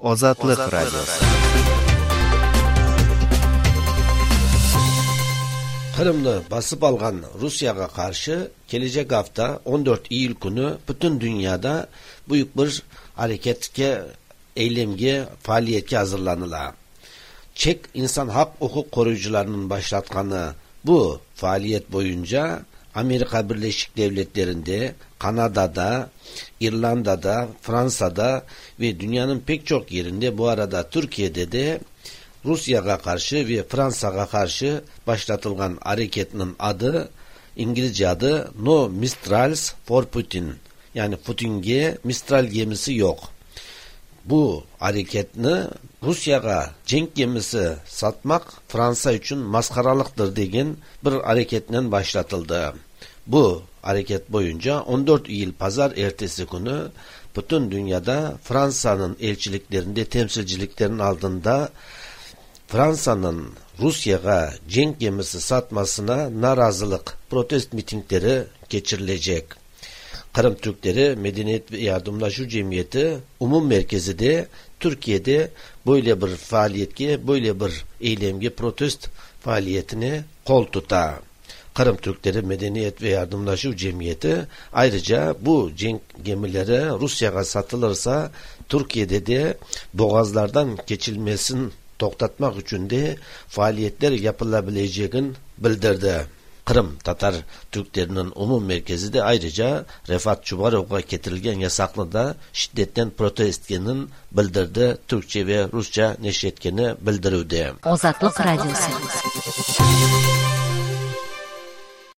Озатлык радиосу. Кырымды басып алган Русияга каршы келечек hafta 14 iyul күнү бүтүн дүйнөдө буюк бир аракетке, эйлемге, фаалиетке азырланыла. Чек инсан хак укук корuyucularынын баштатканы бу фаалиет боюнча Америка Бирлешик Devletlerinde, Kanada'da, İrlanda'da, Fransa'da ve dünyanın pek çok yerinde, bu arada Türkiye'de de Rusya'ya karşı ve Fransa'ya karşı başlatılgan hareketinin adı, İngilizce adı No Missiles for Putin. Yani Putin'e Mistral gemisi yok. Bu hareketini Rusya'ya cenk gemisi satmak Fransa için maskaralıktır degen bir hareketle başlatıldı. Bu hareket boyunca 14 iyul pazar ertesi günü bütün dünyada Fransa'nın elçiliklerinde, temsilciliklerin aldığında Fransa'nın Rusya'ya cenk gemisi satmasına narazılık protest mitingleri geçirilecek. Kırım Türkleri Medeniyet ve Yardımlaşma Cemiyeti Umum Merkezi de Türkiye'de böyle bir faaliyetke, böyle bir eylemge, protest faaliyetine kol tutar. Kırım Türkleri Medeniyet ve Yardımlaşma Cemiyeti ayrıca bu cenk gemileri Rusya'ya satılırsa Türkiye'de de boğazlardan geçilmesini toktatmak için de faaliyetler yapılabileceğini bildirdi. Kırım Tatar Türklerinin Umum Merkezi de ayrıca Refat Çubarov'a getirilgen yasaklı da şiddetten protesto etkenini bildirdi. Türkçe ve Rusça neşretkeni bildirildi. Ozatlık Radyosu.